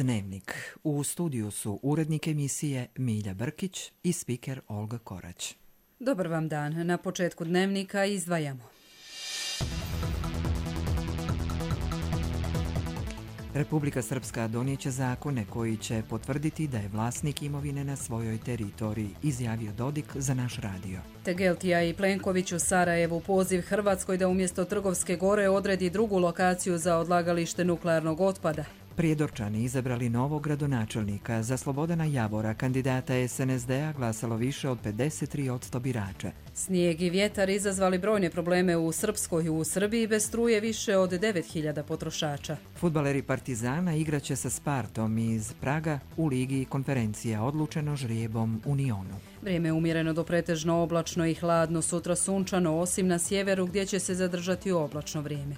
Dnevnik. U studiju su urednik emisije Milja Brkić i spiker Olga Korać. Dobar vam dan. Na početku Dnevnika izdvajamo. Republika Srpska donijeće zakone koji će potvrditi da je vlasnik imovine na svojoj teritoriji, izjavio Dodik za naš radio. Tegeltija i Plenković u Sarajevu poziv Hrvatskoj da umjesto Trgovske gore odredi drugu lokaciju za odlagalište nuklearnog otpada. Prijedorčani izabrali novog gradonačelnika. Za Slobodana Javora, kandidata SNSD-a, glasalo više od 53% birača. Snijeg i vjetar izazvali brojne probleme u Srpskoj. U Srbiji bez struje više od 9.000 potrošača. Fudbaleri Partizana igraće sa Spartom iz Praga u Ligi konferencija, odlučeno žrijebom Unionu. Vrijeme je umjereno do pretežno oblačno i hladno, sutra sunčano, osim na sjeveru gdje će se zadržati oblačno vrijeme.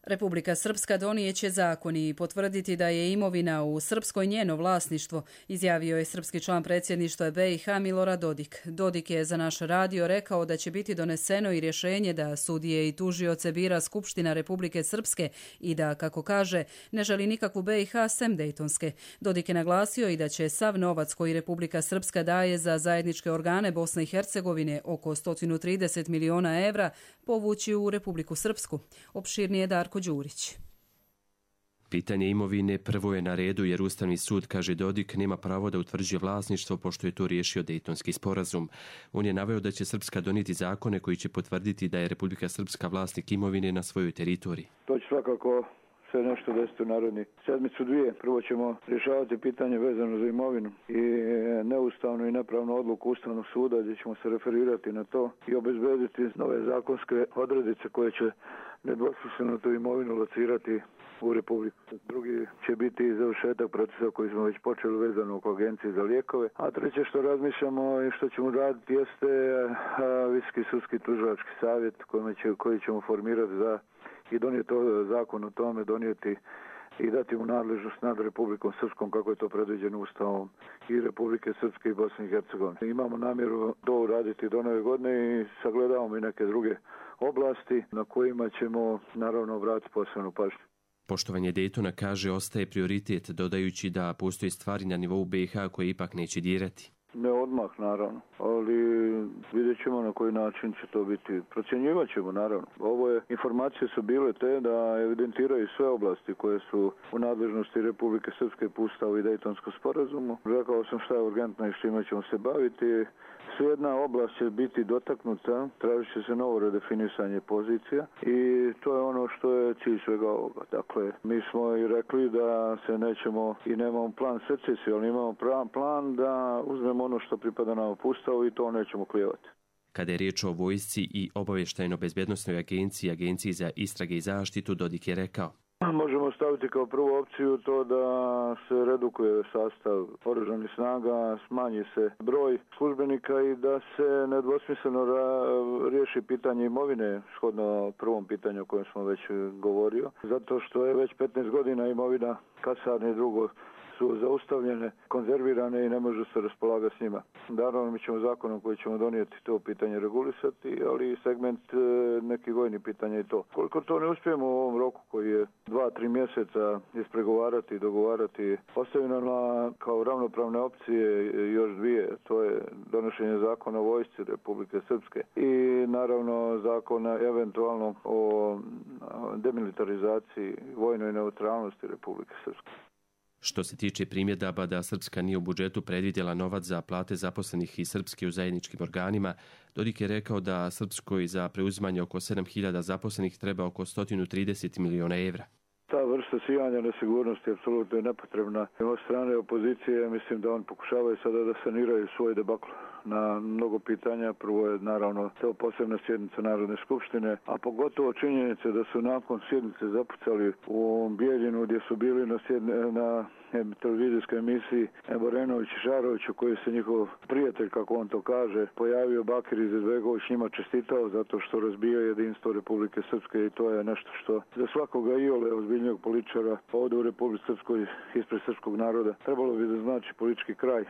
Republika Srpska donijeće zakon i potvrditi da je imovina u Srpskoj njeno vlasništvo, izjavio je srpski član predsjedništva BiH Milorad Dodik. Dodik je za naš radio rekao da će biti doneseno i rješenje da sudije i tužioce bira Skupština Republike Srpske i da, kako kaže, ne želi nikakvu BiH sem Dejtonske. Dodik je naglasio i da će sav novac koji Republika Srpska daje za zajedničke organe Bosne i Hercegovine, oko 130 miliona evra, povući u Republiku Srpsku. Opširnije Darko Đurić. Pitanje imovine prvo je na redu jer Ustavni sud, kaže Dodik, nema pravo da utvrđuje vlasništvo pošto je to riješio Dejtonski sporazum. On je naveo da će Srpska donijeti zakone koji će potvrditi da je Republika Srpska vlasnik imovine na svojoj teritoriji. To će svakako sve nešto desiti u naredni sedmicu dvije. Prvo ćemo rješavati pitanje vezano za imovinu i neustavnu i nepravnu odluku Ustavnog suda gdje ćemo se referirati na to i obezbediti nove zakonske odrednice koje će nedvosmisleno tu imovinu locirati u Republiku. Drugi će biti završetak procesa koji smo već počeli vezano oko Agencije za lijekove. A treće što razmišljamo i što ćemo raditi jeste Visoki sudski tužilački savjet koji ćemo formirati za i donijeti zakon o tome, donijeti i dati mu nadležnost nad Republikom Srpskom kako je to predviđeno Ustavom i Republike Srpske i Bosne i Hercegovine. Imamo namjeru to uraditi do nove godine i sagledavamo i neke druge oblasti na kojima ćemo naravno obratiti posebnu pažnju. Poštovanje Dejtona, kaže, ostaje prioritet, dodajući da postoje stvari na nivou BiH koje ipak neće dirati. Ne odmah, naravno, ali vidjet ćemo na koji način će to biti. Procjenjivat ćemo, naravno. Informacije su bile te da evidentiraju sve oblasti koje su u nadležnosti Republike Srpske po Ustavu i Dejtonskom sporazumu. Rekao sam šta je urgentno i s čime ćemo se baviti. Svejedna oblast će biti dotaknuta, tražit će se novo redefinisanje pozicija i to je ono što je cilj svega ovoga. Dakle, mi smo i rekli da se nećemo i nemamo plan secesije, ali imamo plan da uzmemo ono što pripada nam po Ustavu i to nećemo klijevati. Kada je riječ o vojsci i obavještajno-bezbjednosnoj agenciji, Agenciji za istrage i zaštitu, Dodik je rekao: možemo staviti kao prvu opciju to da se redukuje sastav oružanih snaga, smanji se broj službenika i da se nedvosmisleno riješi pitanje imovine, shodno prvom pitanju o kojem smo već govorio, zato što je već 15 godina imovina kasarne i drugo su zaustavljene, konzervirane i ne može se raspolagati s njima. Naravno, mi ćemo zakonom koji ćemo donijeti to pitanje regulisati, ali segment nekih vojnih pitanja i to. Koliko to ne uspijemo u ovom roku koji je 2-3 mjeseca ispregovarati i dogovarati, ostavljeno kao ravnopravne opcije još dvije, to je donošenje zakona o vojsci Republike Srpske i naravno zakona eventualno o demilitarizaciji vojnoj neutralnosti Republike Srpske. Što se tiče primjedaba da Srpska nije u budžetu predvidjela novac za plate zaposlenih iz Srpske u zajedničkim organima, Dodik je rekao da Srpskoj za preuzimanje oko 7.000 zaposlenih treba oko 130 miliona evra. Ta vrsta sijanja nesigurnosti apsolutno je nepotrebna. Od strane opozicije mislim da on pokušavaju sada da saniraju svoj debakl na mnogo pitanja. Prvo je naravno to posebna sjednica Narodne skupštine, a pogotovo činjenice da su nakon sjednice zapucali u Bijeljinu gdje su bili na televizijskoj emisiji Borenović i Šaroviću, koji se njihov prijatelj, kako on to kaže, pojavio Bakir Izetbegović, njima čestitao zato što razbija jedinstvo Republike Srpske i to je nešto što za svakoga iole ozbiljnijeg političara ovdje u Republike Srpskoj ispred srpskog naroda trebalo bi da znači politički kraj.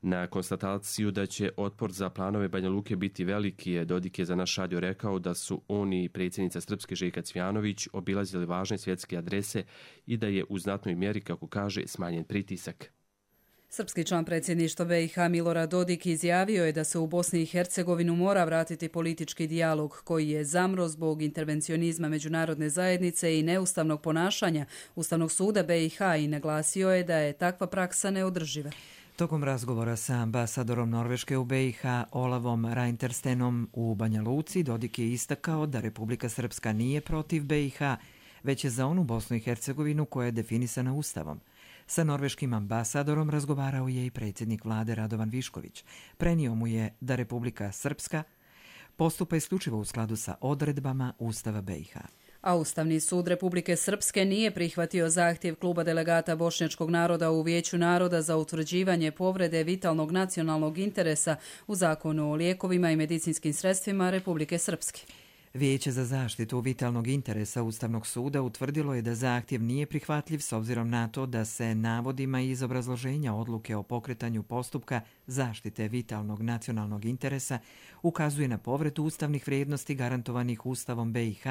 Na konstataciju da će otpor za planove Banja Luke biti veliki, Dodik je za naš radio rekao da su on i predsjednica Srpske Željka Cvjanović obilazili važne svjetske adrese i da je u znatnoj mjeri, kako kaže, smanjen pritisak. Srpski član predsjedništva BiH Milorad Dodik izjavio je da se u Bosni i Hercegovinu mora vratiti politički dijalog koji je zamro zbog intervencionizma međunarodne zajednice i neustavnog ponašanja Ustavnog suda BiH i naglasio je da je takva praksa neodrživa. Tokom razgovora sa ambasadorom Norveške u BiH Olavom Reinterstenom u Banja Luci, Dodik je istakao da Republika Srpska nije protiv BiH, već je za onu Bosnu i Hercegovinu koja je definisana Ustavom. Sa norveškim ambasadorom razgovarao je i predsjednik vlade Radovan Višković. Prenio mu je da Republika Srpska postupa isključivo u skladu sa odredbama Ustava BiH. A Ustavni sud Republike Srpske nije prihvatio zahtjev kluba delegata bošnjačkog naroda u Vijeću naroda za utvrđivanje povrede vitalnog nacionalnog interesa u Zakonu o lijekovima i medicinskim sredstvima Republike Srpske. Vijeće za zaštitu vitalnog interesa Ustavnog suda utvrdilo je da zahtjev nije prihvatljiv s obzirom na to da se navodima iz obrazloženja odluke o pokretanju postupka zaštite vitalnog nacionalnog interesa ukazuje na povredu ustavnih vrijednosti garantovanih Ustavom BiH.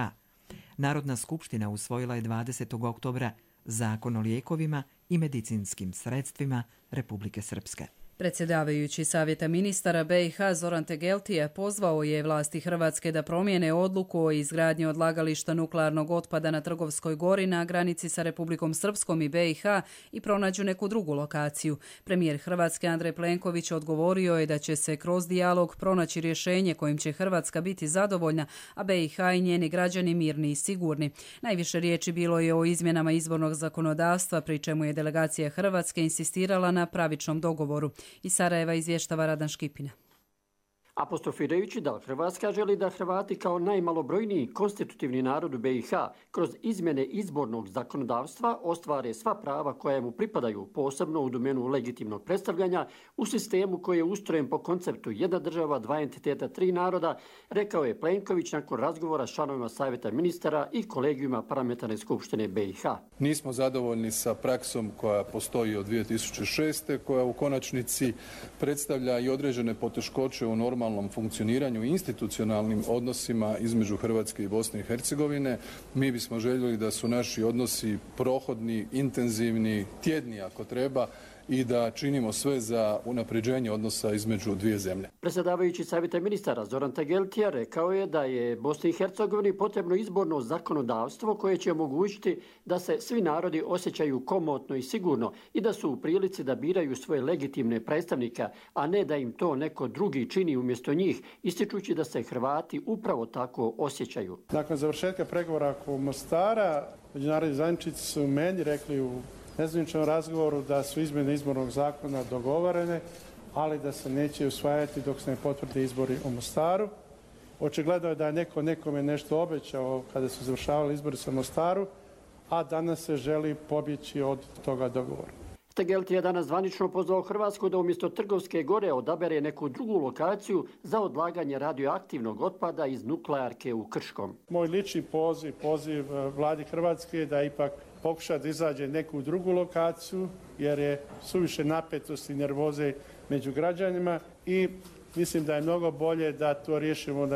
Narodna skupština usvojila je 20. oktobra Zakon o lijekovima i medicinskim sredstvima Republike Srpske. Predsjedavajući Savjeta ministara BiH Zoran Tegeltija pozvao je vlasti Hrvatske da promijene odluku o izgradnji odlagališta nuklearnog otpada na Trgovskoj gori na granici sa Republikom Srpskom i BiH i pronađu neku drugu lokaciju. Premijer Hrvatske Andrej Plenković odgovorio je da će se kroz dijalog pronaći rješenje kojim će Hrvatska biti zadovoljna, a BiH i njeni građani mirni i sigurni. Najviše riječi bilo je o izmjenama izbornog zakonodavstva, pri čemu je delegacija Hrvatske insistirala na pravičnom dogovoru. Iz Sarajeva izvještava Radan Škipina. Apostrofirajući da Hrvatska želi da Hrvati kao najmalobrojniji konstitutivni narod u BiH kroz izmjene izbornog zakonodavstva ostvare sva prava koja mu pripadaju, posebno u domenu legitimnog predstavljanja, u sistemu koji je ustrojen po konceptu jedna država, dva entiteta, tri naroda, rekao je Plenković nakon razgovora s članovima Savjeta ministara i kolegijuma Parlamentarne skupštine BiH. Nismo zadovoljni sa praksom koja postoji od 2006. koja u konačnici predstavlja i određene poteškoće u normalnom funkcioniranju i institucionalnim odnosima između Hrvatske i Bosne i Hercegovine. Mi bismo željeli da su naši odnosi prohodni, intenzivni, tjedni ako treba i da činimo sve za unapređenje odnosa između dvije zemlje. Predsjedavajući Savjeta ministara Zoran Tegeltija rekao je da je Bosni i Hercegovini potrebno izborno zakonodavstvo koje će omogućiti da se svi narodi osjećaju komotno i sigurno i da su u prilici da biraju svoje legitimne predstavnike, a ne da im to neko drugi čini umjesto njih, ističući da se Hrvati upravo tako osjećaju. Nakon završetka pregovora oko Mostara, međunarodni zajedničari su meni rekli u nezvaničnom razgovoru da su izmjene izbornog zakona dogovorene, ali da se neće usvajati dok se ne potvrde izbori u Mostaru. Očigledno je da je neko nekome nešto obećao kada su završavali izbori sa Mostaru, a danas se želi pobjeći od toga dogovora. Tegelti je danas zvanično pozvao Hrvatsku da umjesto Trgovske gore odabere neku drugu lokaciju za odlaganje radioaktivnog otpada iz nuklearke u Krškom. Moj lični poziv vladi Hrvatske da ipak pokuša da izađe neku drugu lokaciju, jer je suviše napetosti i nervoze među građanima i mislim da je mnogo bolje da to riješimo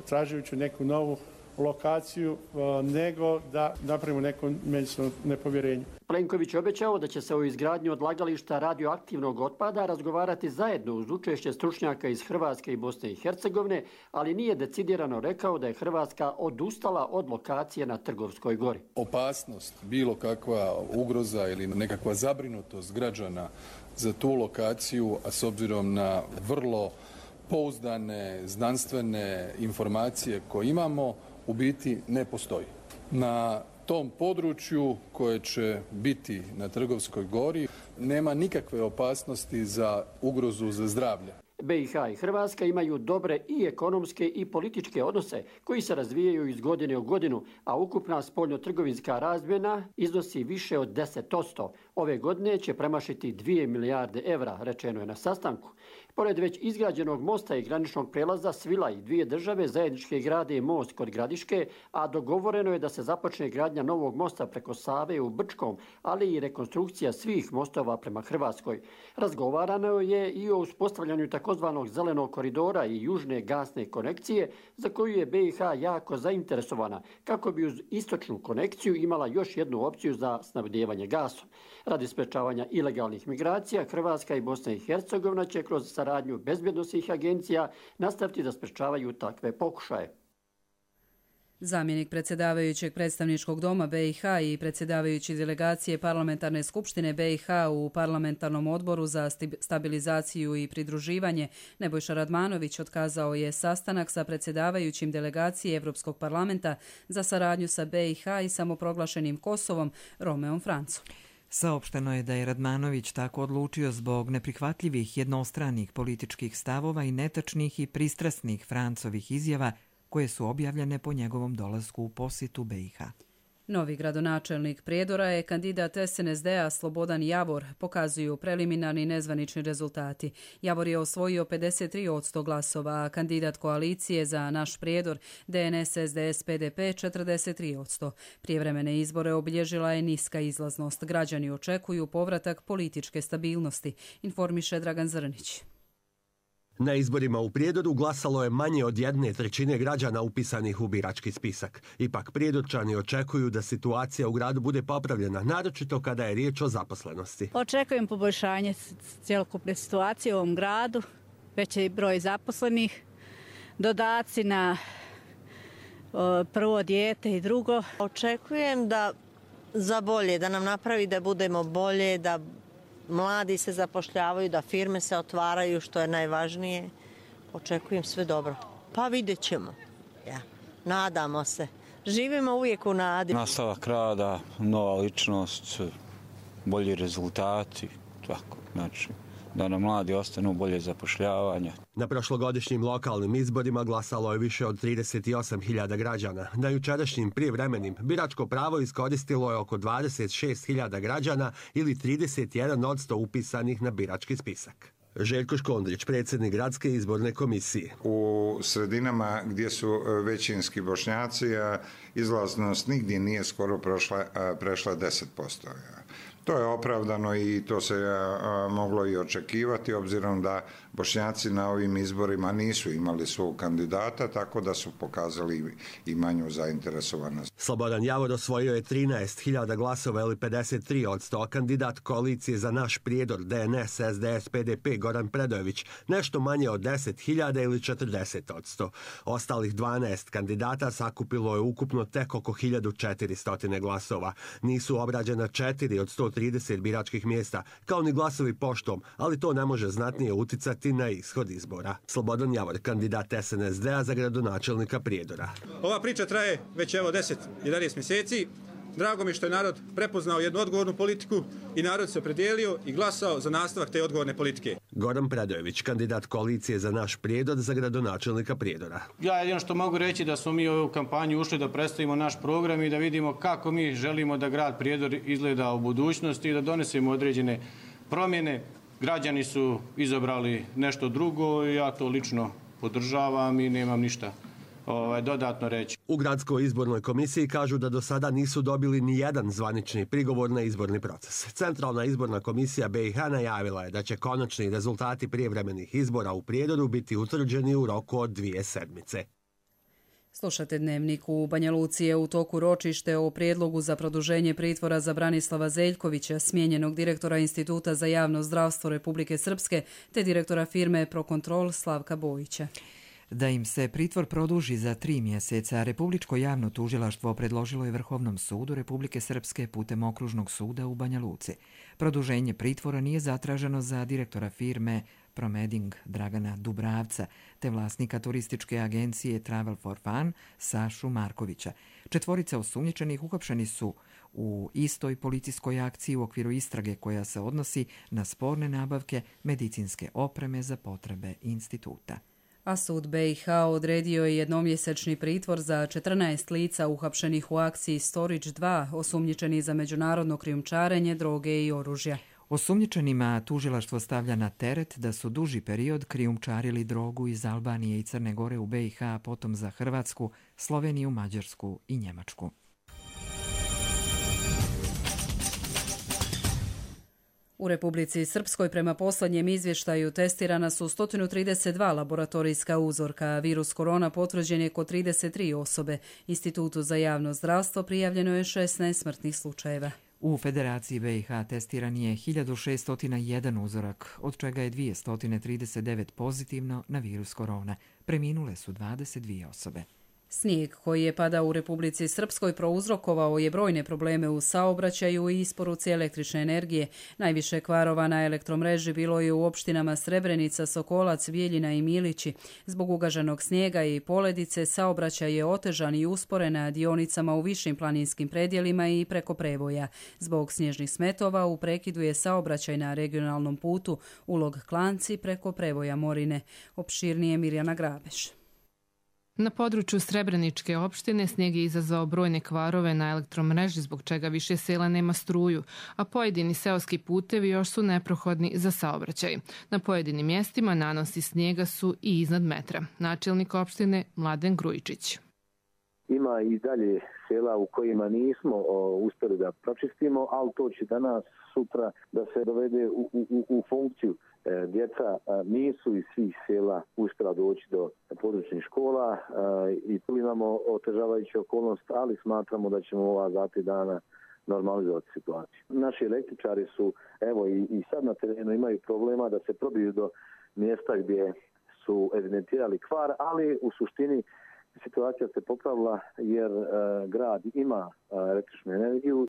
tražujući neku novu lokaciju nego da napravimo neko međusobno nepovjerenje. Plenković je obećao da će se o izgradnji odlagališta radioaktivnog otpada razgovarati zajedno uz učešće stručnjaka iz Hrvatske i Bosne i Hercegovine, ali nije decidirano rekao da je Hrvatska odustala od lokacije na Trgovskoj gori. Opasnost, bilo kakva ugroza ili nekakva zabrinutost građana za tu lokaciju, a s obzirom na vrlo pouzdane znanstvene informacije koje imamo, u biti ne postoji. Na tom području koje će biti na Trgovskoj gori nema nikakve opasnosti za ugrozu za zdravlje. BiH i Hrvatska imaju dobre i ekonomske i političke odnose koji se razvijaju iz godine u godinu, a ukupna spoljno-trgovinska razmjena iznosi više od 10%. Ove godine će premašiti 2 milijarde evra, rečeno je na sastanku. Pored već izgrađenog mosta i graničnog prelaza Svilaj, dvije države zajednički grade most kod Gradiške, a dogovoreno je da se započne gradnja novog mosta preko Save u Brčkom, ali i rekonstrukcija svih mostova prema Hrvatskoj. Razgovarano je i o uspostavljanju takozvanog zelenog koridora i južne gasne konekcije, za koju je BiH jako zainteresovana, kako bi uz istočnu konekciju imala još jednu opciju za snabdijevanje gasom. Radi sprečavanja ilegalnih migracija, Hrvatska i Bosna i Hercegovina će kroz saradnju bezbjednosnih agencija nastaviti da sprečavaju takve pokušaje. Zamjenik predsjedavajućeg predstavničkog doma BiH i predsjedavajući delegacije Parlamentarne skupštine BiH u Parlamentarnom odboru za stabilizaciju i pridruživanje Nebojša Radmanović otkazao je sastanak sa predsjedavajućim delegacije Europskog parlamenta za saradnju sa BiH i samoproglašenim Kosovom Romeom Francom. Saopšteno je da je Radmanović tako odlučio zbog neprihvatljivih jednostranih političkih stavova i netačnih i pristrasnih Francovih izjava koje su objavljene po njegovom dolasku u posjetu BiH. Novi gradonačelnik Prijedora je kandidat SNSD-a Slobodan Javor, pokazuju preliminarni nezvanični rezultati. Javor je osvojio 53% glasova, a kandidat koalicije za Naš Prijedor, DNS, SDS, PDP 43%. Prijevremene izbore obilježila je niska izlaznost. Građani očekuju povratak političke stabilnosti, informiše Dragan Zrnić. Na izborima u Prijedoru glasalo je manje od 1/3 građana upisanih u birački spisak. Ipak Prijedorčani očekuju da situacija u gradu bude popravljena, naročito kada je riječ o zaposlenosti. Očekujem poboljšanje cjelokupne situacije u ovom gradu, veći broj zaposlenih, dodaci na prvo dijete i drugo. Očekujem da za bolje, da nam napravi da budemo bolje, da mladi se zapošljavaju, da firme se otvaraju, što je najvažnije. Očekujem sve dobro. Pa vidjet ćemo. Nadamo se. Živimo uvijek u nadi. Nastavak rada, nova ličnost, bolji rezultati, tako, znači da nam mladi ostanu bolje zapošljavanja. Na prošlogodišnjim lokalnim izborima glasalo je više od 38.000 građana. Na jučerašnjim prijevremenim biračko pravo iskoristilo je oko 26.000 građana ili 31% upisanih na birački spisak. Željko Škondrić, predsjednik Gradske izborne komisije. U sredinama gdje su većinski Bošnjaci, izlaznost nigdje nije skoro prešla 10%. To je opravdano i to se moglo i očekivati, obzirom da Bošnjaci na ovim izborima nisu imali svog kandidata, tako da su pokazali i manju zainteresovanost. Slobodan Javor osvojio je 13.000 glasova ili 53%, a kandidat koalicije za Naš Prijedor, DNS, SDS, PDP Goran Predojević nešto manje od 10.000 ili 40%. Ostalih 12 kandidata sakupilo je ukupno tek oko 1.400 glasova. Nisu obrađena 4 od 130 biračkih mjesta, kao ni glasovi poštom, ali to ne može znatnije uticati na ishod izbora. Slobodan Javor, kandidat SNSD-a za gradonačelnika Prijedora. Ova priča traje već 10-11 mjeseci. Drago mi što je narod prepoznao jednu odgovornu politiku i narod se opredijelio i glasao za nastavak te odgovorne politike. Goran Predojević, kandidat koalicije za Naš Prijedor za gradonačelnika Prijedora. Ja jedino što mogu reći da smo mi u ovu kampanju ušli da predstavimo naš program i da vidimo kako mi želimo da grad Prijedor izgleda u budućnosti i da donesemo određene promjene. Građani su izabrali nešto drugo i ja to lično podržavam i nemam ništa dodatno reći. U Gradskoj izbornoj komisiji kažu da do sada nisu dobili ni jedan zvanični prigovor na izborni proces. Centralna izborna komisija BiH najavila je da će konačni rezultati prijevremenih izbora u Prijedoru biti utvrđeni u roku od 2 sedmice. Slušate Dnevnik. U Banja Luci je u toku ročište o prijedlogu za produženje pritvora za Branislava Zeljkovića, smijenjenog direktora Instituta za javno zdravstvo Republike Srpske, te direktora firme Prokontrol Slavka Bojića. Da im se pritvor produži za 3 mjeseca, Republičko javno tužilaštvo predložilo je Vrhovnom sudu Republike Srpske putem Okružnog suda u Banja Luci. Produženje pritvora nije zatraženo za direktora firme Promeding Dragana Dubravca, te vlasnika turističke agencije Travel for Fun Sašu Markovića. 4 osumnjičenih uhapšeni su u istoj policijskoj akciji u okviru istrage koja se odnosi na sporne nabavke medicinske opreme za potrebe instituta. A sud BiH odredio je jednomjesečni pritvor za 14 lica uhapšenih u akciji Storage 2, osumnjičeni za međunarodno krijumčarenje droge i oružja. Osumnjičenima tužilaštvo stavlja na teret da su duži period krijumčarili drogu iz Albanije i Crne Gore u BiH, a potom za Hrvatsku, Sloveniju, Mađarsku i Njemačku. U Republici Srpskoj prema posljednjem izvještaju testirana su 132 laboratorijska uzorka. Virus korona potvrđen je kod 33 osobe. Institutu za javno zdravstvo prijavljeno je 16 smrtnih slučajeva. U Federaciji BiH testiran je 1601 uzorak, od čega je 239 pozitivno na virus korona. Preminule su 22 osobe. Snijeg koji je padao u Republici Srpskoj prouzrokovao je brojne probleme u saobraćaju i isporuci električne energije. Najviše kvarova na elektromreži bilo je u opštinama Srebrenica, Sokolac, Bijeljina i Milići. Zbog ugaženog snijega i poledice saobraćaj je otežan i usporen na dionicama u višim planinskim predjelima i preko prevoja. Zbog snježnih smetova u prekidu je saobraćaj na regionalnom putu Ulog Klanci preko prevoja Morine. Opširnije Mirjana Grabeš. Na području Srebreničke opštine snijeg je izazvao brojne kvarove na elektromreži, zbog čega više sela nema struju, a pojedini seoski putevi još su neprohodni za saobraćaj. Na pojedinim mjestima nanosi snijega su i iznad metra. Načelnik opštine Mladen Grujičić. Ima i dalje sela u kojima nismo uspjeli da pročistimo, ali to će danas, sutra da se dovede u funkciju. Djeca nisu iz svih sela uspjela doći do područnih škola i tu imamo otežavajuću okolnost, ali smatramo da ćemo ova 2-3 dana normalizovati situaciju. Naši električari su, evo i sad na terenu imaju problema da se probiju do mjesta gdje su evidentirali kvar, ali u suštini situacija se popravila jer grad ima električnu energiju.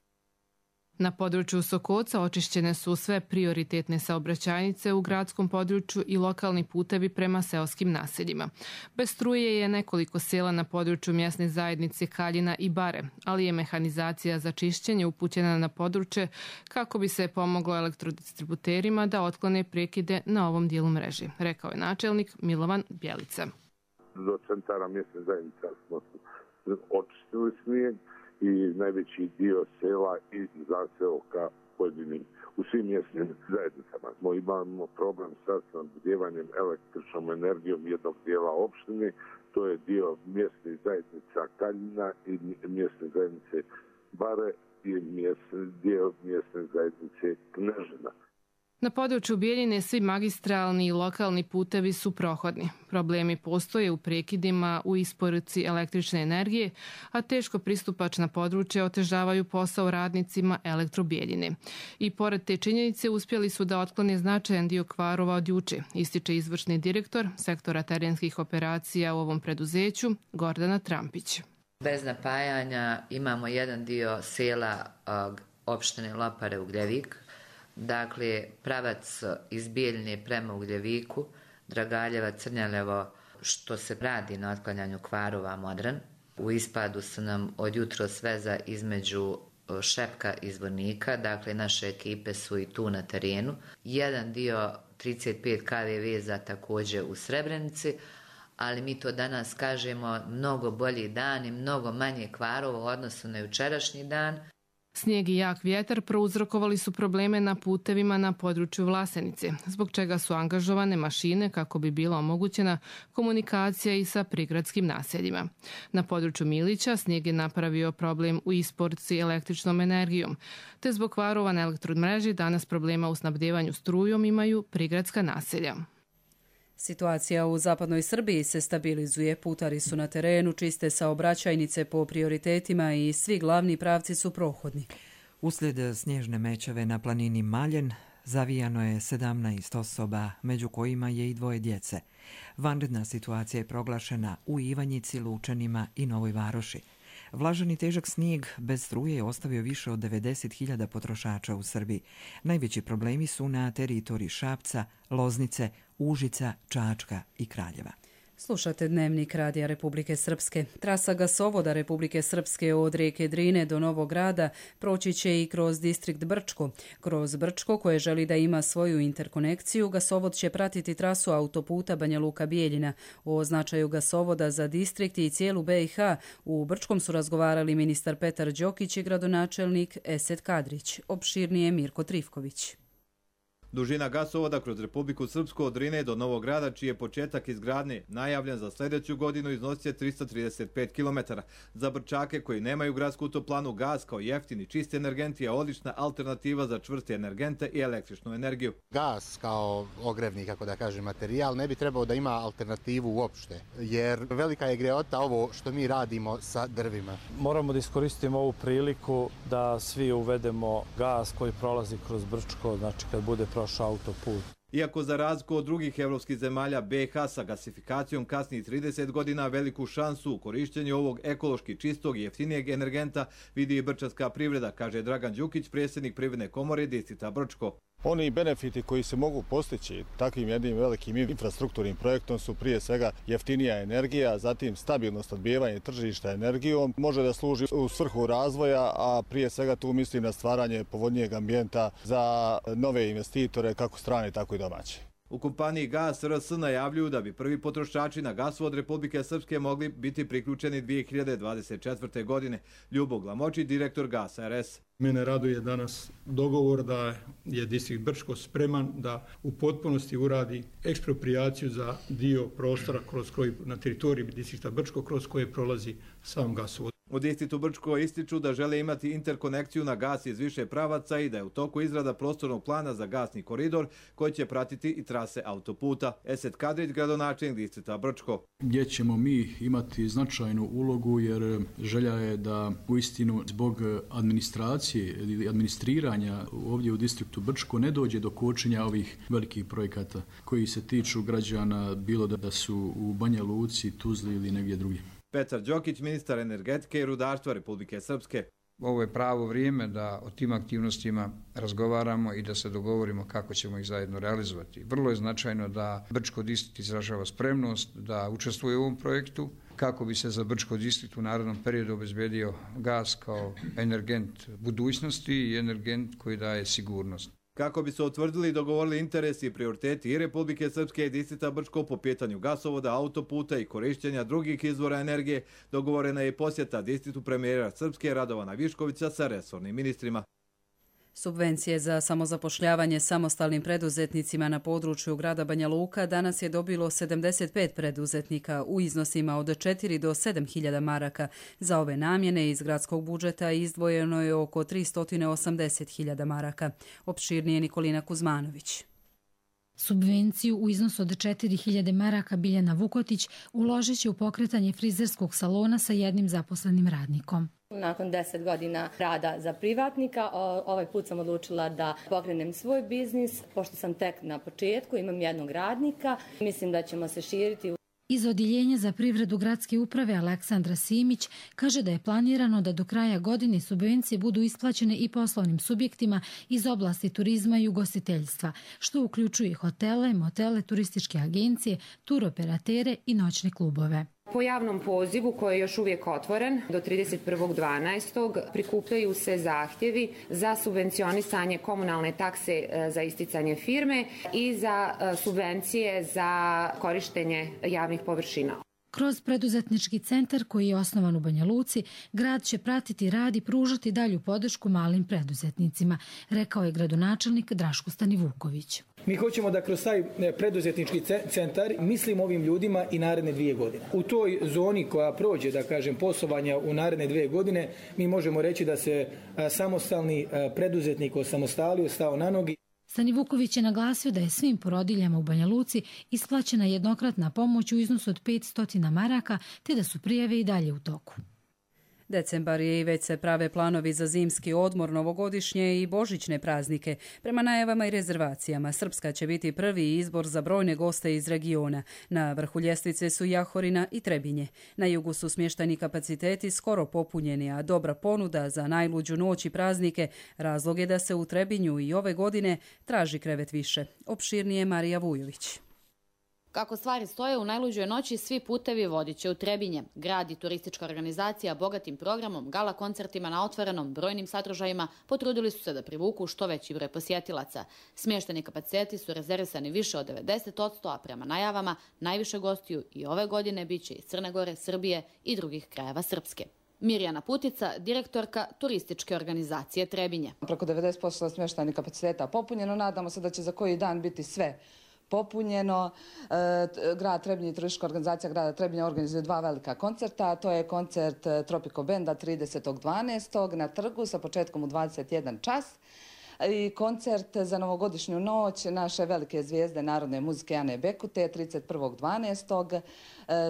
Na području Sokoca očišćene su sve prioritetne saobraćajnice u gradskom području i lokalni putevi prema seoskim naseljima. Bez struje je nekoliko sela na području mjesne zajednice Kaljina i Bare, ali je mehanizacija za čišćenje upućena na područje kako bi se pomoglo elektrodistributerima da otklone prekide na ovom dijelu mreže, rekao je načelnik Milovan Bjelica. Do centara mjesne zajednice smo očistili snijeg i najveći dio sela i zaseoka pojedinim u svim mjesnim zajednicama. Imamo problem sa snabdjevanjem električnom energijom jednog dijela opštine, to je dio mjesnih zajednica Kaljina i mjesne zajednice Bare i dio mjesne zajednice Knežina. Na području Bijeljine svi magistralni i lokalni putevi su prohodni. Problemi postoje u prekidima u isporuci električne energije, a teško pristupačna područja otežavaju posao radnicima Elektrobijeljine. I pored te činjenice uspjeli su da otklone značajan dio kvarova od juče, ističe izvršni direktor sektora terenskih operacija u ovom preduzeću Gordana Trampić. Bez napajanja imamo jedan dio sela opštine Lopare Ugljevik. Dakle, pravac iz Bijeljine prema Ugljeviku, Dragaljeva, Crnjaljevo, što se radi na otklanjanju kvarova Modran. U ispadu su nam od jutro sveza između Šepka i Zvornika, dakle naše ekipe su i tu na terenu. Jedan dio 35 kV veza također u Srebrenici, ali mi to danas kažemo mnogo bolji dan i mnogo manje kvarova u odnosu na jučerašnji dan. Snijeg i jak vjetar prouzrokovali su probleme na putevima na području Vlasenice, zbog čega su angažovane mašine kako bi bila omogućena komunikacija i sa prigradskim naseljima. Na području Milića snijeg je napravio problem u isporuci električnom energijom, te zbog kvarova na elektromreži danas problema u snabdjevanju strujom imaju prigradska naselja. Situacija u zapadnoj Srbiji se stabilizuje, putari su na terenu, čiste saobraćajnice po prioritetima i svi glavni pravci su prohodni. Uslijed snježne mećave na planini Maljen zavijano je 17 osoba, među kojima je i 2 djece. Vanredna situacija je proglašena u Ivanjici, Lučanima i Novoj Varoši. Vlažan i težak snijeg bez struje je ostavio više od 90.000 potrošača u Srbiji. Najveći problemi su na teritoriji Šapca, Loznice, Užica, Čačka i Kraljeva. Slušate Dnevnik Radija Republike Srpske. Trasa gasovoda Republike Srpske od rijeke Drine do Novog Grada proći će i kroz distrikt Brčko. Kroz Brčko, koje želi da ima svoju interkonekciju, gasovod će pratiti trasu autoputa Banja Luka-Bijeljina. O značaju gasovoda za distrikt i cijelu BiH u Brčkom su razgovarali ministar Petar Đokić i gradonačelnik Esed Kadrić. Opširnije Mirko Trifković. Dužina gasovoda kroz Republiku Srpsku od Drine do Novog Grada, čiji je početak izgradnje najavljen za sljedeću godinu, iznosi 335 km. Za Brčake koji nemaju gradsku toplanu, gas kao jeftin i čist energent je odlična alternativa za čvrste energente i električnu energiju. Gas kao ogrevni, kako da kažem, materijal ne bi trebao da ima alternativu uopšte, jer velika je greota ovo što mi radimo sa drvima. Moramo da iskoristimo ovu priliku da svi uvedemo gas koji prolazi kroz Brčko, znači kad bude autoput. Iako za razliku od drugih evropskih zemalja, BiH sa gasifikacijom kasni 30 godina, veliku šansu u korišćenju ovog ekološki čistog i jeftinijeg energenta vidi i brčanska privreda, kaže Dragan Đukić, predsjednik Privredne komore distrikta Brčko. Oni benefiti koji se mogu postići takvim jednim velikim infrastrukturnim projektom su prije svega jeftinija energija, zatim stabilno snabdijevanje tržišta energijom, može da služi u svrhu razvoja, a prije svega tu mislim na stvaranje povoljnijeg ambijenta za nove investitore, kako strane, tako i domaće. U kompaniji Gas RS najavljuju da bi prvi potrošači na gasovod Republike Srpske mogli biti priključeni 2024. godine. Ljubo Glamočić, direktor Gasa RS. Mene raduje danas dogovor da je distrikt Brčko spreman da u potpunosti uradi eksproprijaciju za dio prostora kroz koji, na teritoriji distrikta Brčko, kroz koje prolazi sam gasovod. U distriktu Brčko ističu da žele imati interkonekciju na gas iz više pravaca i da je u toku izrada prostornog plana za gasni koridor koji će pratiti i trase autoputa. Esed Kadrić, gradonačelnik distrikta Brčko. Gdje ćemo mi imati značajnu ulogu jer želja je da uistinu zbog administracije ili administriranja ovdje u distriktu Brčko ne dođe do kočenja ovih velikih projekata koji se tiču građana, bilo da su u Banja Luci, Tuzli ili negdje drugdje. Petar Đokić, ministar energetike i rudarstva Republike Srpske. Ovo je pravo vrijeme da o tim aktivnostima razgovaramo i da se dogovorimo kako ćemo ih zajedno realizovati. Vrlo je značajno da Brčko distrikt izražava spremnost da učestvuje u ovom projektu kako bi se za Brčko distrikt u narednom periodu obezbedio gas kao energent budućnosti i energent koji daje sigurnost. Kako bi se utvrdili i dogovorili interesi i prioriteti i Republike Srpske i distrikta Brčko po pitanju gasovoda, autoputa i korišćenja drugih izvora energije, dogovorena je i posjeta distriktu premijera Srpske Radovana Viškovića sa resornim ministrima. Subvencije za samozapošljavanje samostalnim preduzetnicima na području grada Banja Luka danas je dobilo 75 preduzetnika u iznosima od 4 do 7.000 maraka. Za ove namjene iz gradskog budžeta izdvojeno je oko 380.000 maraka. Opširnije Nikolina Kuzmanović. Subvenciju u iznosu od 4.000 maraka Biljana Vukotić uložit će u pokretanje frizerskog salona sa jednim zaposlenim radnikom. Nakon 10 godina rada za privatnika, ovaj put sam odlučila da pokrenem svoj biznis. Pošto sam tek na početku, imam jednog radnika, mislim da ćemo se širiti. Iz Odjeljenja za privredu gradske uprave Aleksandra Simić kaže da je planirano da do kraja godine subvencije budu isplaćene i poslovnim subjektima iz oblasti turizma i ugostiteljstva, što uključuje hotele, motele, turističke agencije, turoperatere i noćne klubove. Po javnom pozivu koji je još uvijek otvoren do 31.12. prikupljaju se zahtjevi za subvencionisanje komunalne takse za isticanje firme i za subvencije za korištenje javnih površina. Kroz preduzetnički centar koji je osnovan u Banja Luci, grad će pratiti rad i pružati dalju podršku malim preduzetnicima, rekao je gradonačelnik Draško Stanivuković. Mi hoćemo da kroz taj preduzetnički centar mislimo ovim ljudima i naredne 2 godine. U toj zoni koja prođe, da kažem, poslovanja u naredne 2 godine, mi možemo reći da se samostalni preduzetnik osamostalio, stao na nogi. Stanivuković je naglasio da je svim porodiljama u Banja Luci isplaćena jednokratna pomoć u iznosu od 500 maraka, te da su prijave i dalje u toku. Decembar je i već se prave planovi za zimski odmor, novogodišnje i božićne praznike. Prema najavama i rezervacijama, Srpska će biti prvi izbor za brojne goste iz regiona. Na vrhu ljestvice su Jahorina i Trebinje. Na jugu su smješteni kapaciteti skoro popunjeni, a dobra ponuda za najluđu noć i praznike razlog je da se u Trebinju i ove godine traži krevet više. Opširnije Marija Vujović. Kako stvari stoje, u najluđoj noći svi putevi vodit će u Trebinje. Grad i turistička organizacija bogatim programom, gala koncertima na otvorenom, brojnim sadržajima potrudili su se da privuku što veći broj posjetilaca. Smješteni kapaciteti su rezervisani više od 90%, a prema najavama najviše gostiju i ove godine biće iz Crne Gore, Srbije i drugih krajeva Srpske. Mirjana Putica, direktorka turističke organizacije Trebinje. Preko 90% smještajnih kapaciteta popunjeno, nadamo se da će za koji dan biti sve popunjeno. Grad Trebinje i turistička organizacija grada Trebinja organizuje 2 velika koncerta. To je koncert Tropico Benda 30.12. na trgu sa početkom u 21 čas. I koncert za novogodišnju noć naše velike zvijezde narodne muzike Ane Bekute 31.12.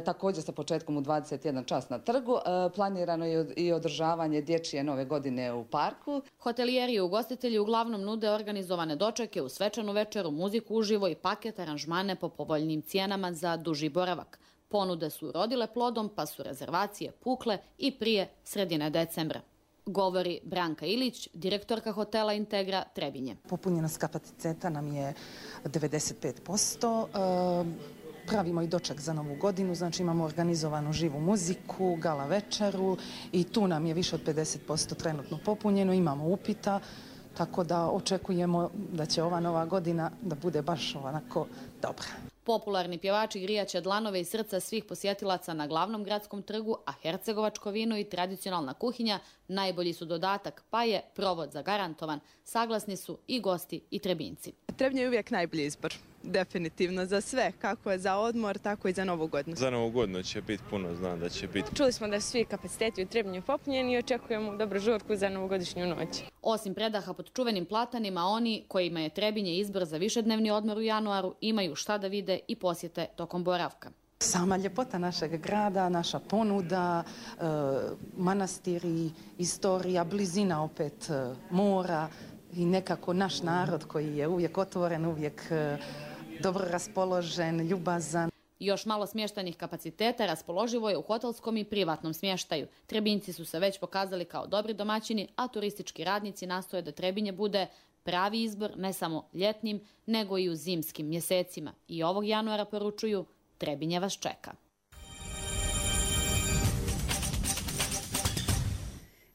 Također sa početkom u 21 čas na trgu. Planirano je i održavanje dječje nove godine u parku. Hotelijeri i ugostitelji uglavnom nude organizovane dočeke u svečanu večeru, muziku uživo i paket aranžmane po povoljnim cijenama za duži boravak. Ponude su rodile plodom, pa su rezervacije pukle i prije sredine decembra. Govori Branka Ilić, direktorka hotela Integra Trebinje. Popunjenost kapaciteta nam je 95%. Pravimo i doček za Novu godinu, znači imamo organizovanu živu muziku, gala večeru i tu nam je više od 50% trenutno popunjeno, imamo upita, tako da očekujemo da će ova Nova godina da bude baš onako dobra. Popularni pjevači grijaće dlanove i srca svih posjetilaca na glavnom gradskom trgu, a hercegovačko vino i tradicionalna kuhinja najbolji su dodatak, pa je provod zagarantovan. Saglasni su i gosti i Trebinci. Trebinje je uvijek najbolji izbor, definitivno za sve, kako je za odmor, tako i za Novu godinu. Za Novu godinu će biti puno, znam da će biti. Čuli smo da su svi kapaciteti u Trebinju popunjeni i očekujemo dobru žurku za novogodišnju noć. Osim predaha pod čuvenim platanima, oni kojima je Trebinje izbor za višednevni odmor u januaru imaju šta da vide i posjete tokom boravka. Sama ljepota našeg grada, naša ponuda, manastiri, istorija, blizina opet mora i nekako naš narod koji je uvijek otvoren, uvijek dobro raspoložen, ljubazan. Još malo smještajnih kapaciteta raspoloživo je u hotelskom i privatnom smještaju. Trebinci su se već pokazali kao dobri domaćini, a turistički radnici nastoje da Trebinje bude pravi izbor ne samo ljetnim, nego i u zimskim mjesecima. I ovog januara poručuju, Trebinje vas čeka.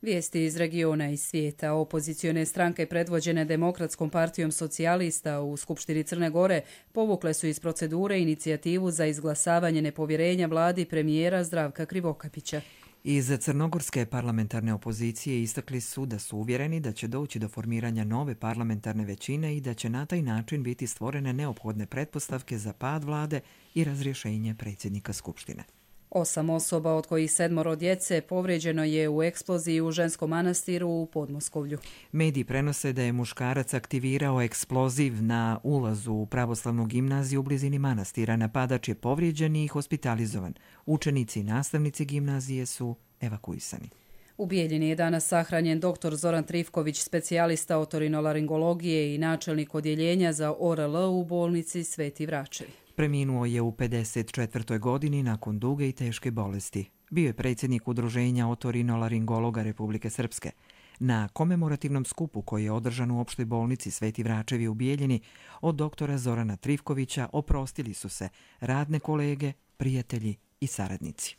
Vijesti iz regiona i svijeta. Opozicione stranke predvođene Demokratskom partijom socijalista u Skupštini Crne Gore povukle su iz procedure inicijativu za izglasavanje nepovjerenja vladi premijera Zdravka Krivokapića. Iz crnogorske parlamentarne opozicije istakli su da su uvjereni da će doći do formiranja nove parlamentarne većine i da će na taj način biti stvorene neophodne pretpostavke za pad vlade i razrješenje predsjednika Skupštine. 8 osoba, od kojih 7 djece, povrijeđeno je u eksploziji u ženskom manastiru u Podmoskovlju. Mediji prenose da je muškarac aktivirao eksploziv na ulazu u pravoslavnu gimnaziju u blizini manastira. Napadač je povrijeđen i hospitalizovan. Učenici i nastavnici gimnazije su evakuisani. U Bijeljini je danas sahranjen dr. Zoran Trifković, specijalista otorinolaringologije i načelnik odjeljenja za ORL u bolnici Sveti Vračevi. Preminuo je u 54. godini nakon duge i teške bolesti. Bio je predsjednik Udruženja otorinolaringologa Republike Srpske. Na komemorativnom skupu koji je održan u opštoj bolnici Sveti Vračevi u Bijeljini, od doktora Zorana Trifkovića oprostili su se radne kolege, prijatelji i saradnici.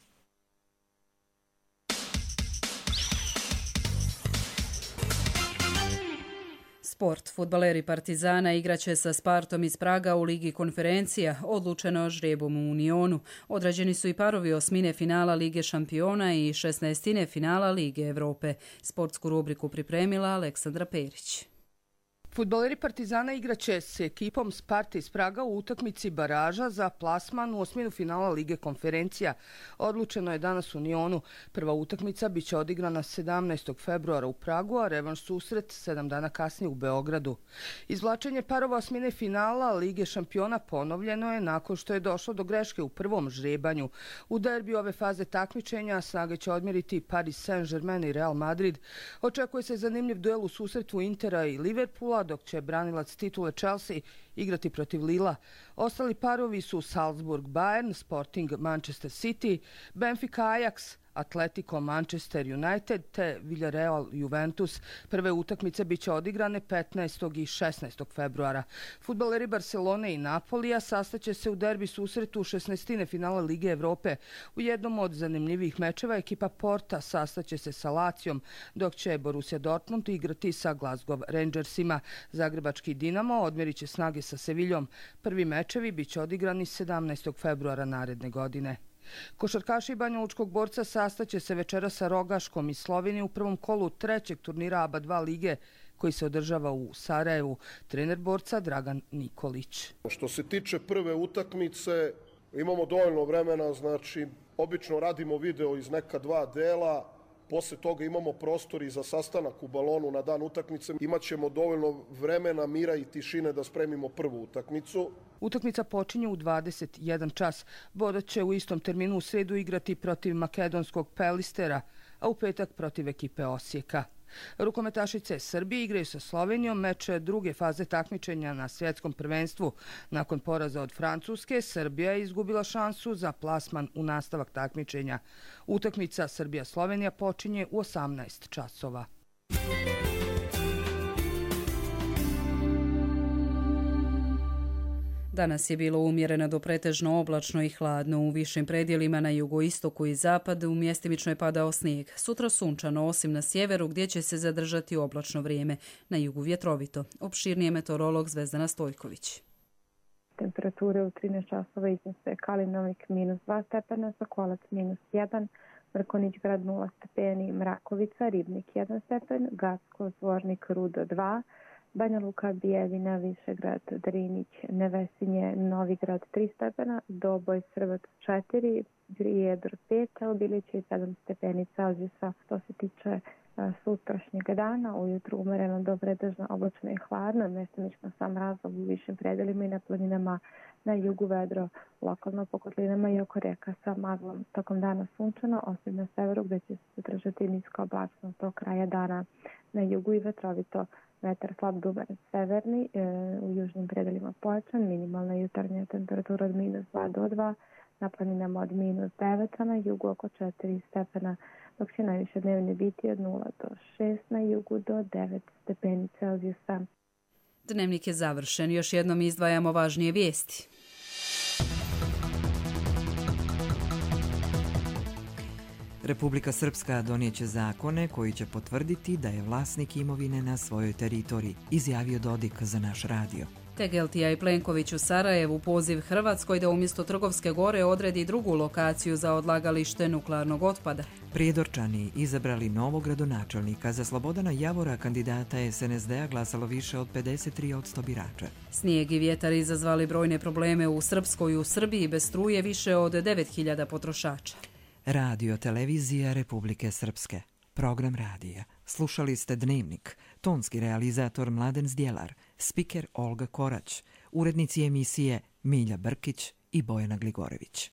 Sport. Fudbaleri Partizana igraće sa Spartom iz Praga u Ligi konferencija, odlučeno žrebom u Unionu. Odrađeni su i parovi osmine finala Lige šampiona i 16. finala Lige Evrope. Sportsku rubriku pripremila Aleksandra Perić. Fudbaleri Partizana igraće s ekipom Sparte iz Praga u utakmici baraža za plasman u osminu finala Lige konferencija. Odlučeno je danas u Unionu. Prva utakmica biće odigrana 17. februara u Pragu, a revanš susret 7 dana kasnije u Beogradu. Izvlačenje parova osmine finala Lige šampiona ponovljeno je nakon što je došlo do greške u prvom žrebanju. U derbiju ove faze takmičenja snage će odmjeriti Paris Saint-Germain i Real Madrid. Očekuje se zanimljiv duel u susretu Intera i Liverpoola, dok će branilac titule Chelsea igrati protiv Lila. Ostali parovi su Salzburg Bayern, Sporting Manchester City, Benfica Ajax, Atletico Manchester United te Villarreal Juventus. Prve utakmice biće odigrane 15. i 16. februara. Fudbaleri Barcelone i Napolija sastaće se u derbi susretu 16. finala Lige Evrope. U jednom od zanimljivih mečeva ekipa Porta sastaće se sa Lacijom, dok će Borussia Dortmund igrati sa Glasgow Rangersima. Zagrebački Dinamo odmjerit će snage sa Seviljom. Prvi mečevi biće odigrani 17. februara naredne godine. Košarkaši Banjalučkog Borca sastaće se večera sa Rogaškom iz Slovenije u prvom kolu trećeg turnira ABA 2 lige koji se održava u Sarajevu. Trener Borca Dragan Nikolić. Što se tiče prve utakmice, imamo dovoljno vremena, znači obično radimo video iz neka dva dela, posle toga imamo prostor i za sastanak u balonu na dan utakmice. Imaćemo dovoljno vremena, mira i tišine da spremimo prvu utakmicu. Utakmica počinje u 21 čas. Boda će u istom terminu u sredu igrati protiv makedonskog Pelistera, a u petak protiv ekipe Osijeka. Rukometašice Srbije igraju sa Slovenijom meč druge faze takmičenja na svjetskom prvenstvu. Nakon poraza od Francuske, Srbija je izgubila šansu za plasman u nastavak takmičenja. Utakmica Srbija-Slovenija počinje u 18 časova. Danas je bilo umjereno do pretežno oblačno i hladno. U višim predjelima na jugoistoku i zapadu mjestimično je padao snijeg. Sutra sunčano, osim na sjeveru gdje će se zadržati oblačno vrijeme. Na jugu vjetrovito. Opširnije meteorolog Zvezdana Stojković. Temperature u 13 časova iznose Kalinovik -2 stepena, Sokolac -1, Mrkonić grad 0 stepeni, Mrakovica, Ribnik 1 stepen, Gacko, Zvornik, Rudo 2, Banja Luka, Bijeljina, Višegrad, Drinić, Nevesinje, Novigrad 3 stepena, Doboj, Srbac 4, Prijedor 5, Obiliće i 7 stepeni Celzijusa. Što se tiče sutrašnjeg dana, ujutru umereno do pretežno oblačno i hladno, mjestimično sam razlog u višim predelima i na planinama, na jugu vedro, lokalno po kotlinama i oko reka sa maglom. Tokom dana sunčano, osim na severu gdje će se zadržati nisko oblačno do kraja dana. Na jugu i vetrovito, vetar slab do severni, u južnim predelima pojačan, minimalna jutarnja temperatura od -2 do 2, na planinama od -9, a na jugu oko 4 stepena, dok će najviše dnevni biti od 0 do 6, na jugu do 9 stepeni Celzijusa. Dnevnik je završen. Još jednom izdvajamo važnije vijesti. Republika Srpska donijeće zakone koji će potvrditi da je vlasnik imovine na svojoj teritoriji, izjavio Dodik za naš radio. Tegeltija i Plenković u Sarajevu poziv Hrvatskoj da umjesto Trgovske gore odredi drugu lokaciju za odlagalište nuklearnog otpada. Prijedorčani izabrali novog gradonačelnika. Za Slobodana Javora, kandidata SNSD-a, glasalo više od 53% birača. Snijeg i vjetar izazvali brojne probleme u Srpskoj. U Srbiji bez struje više od 9000 potrošača. Radio televizija Republike Srpske. Program radija. Slušali ste Dnevnik. Tonski realizator Mladen Zdjelar. Spiker Olga Korać. Urednici emisije Milja Brkić i Bojana Gligorević.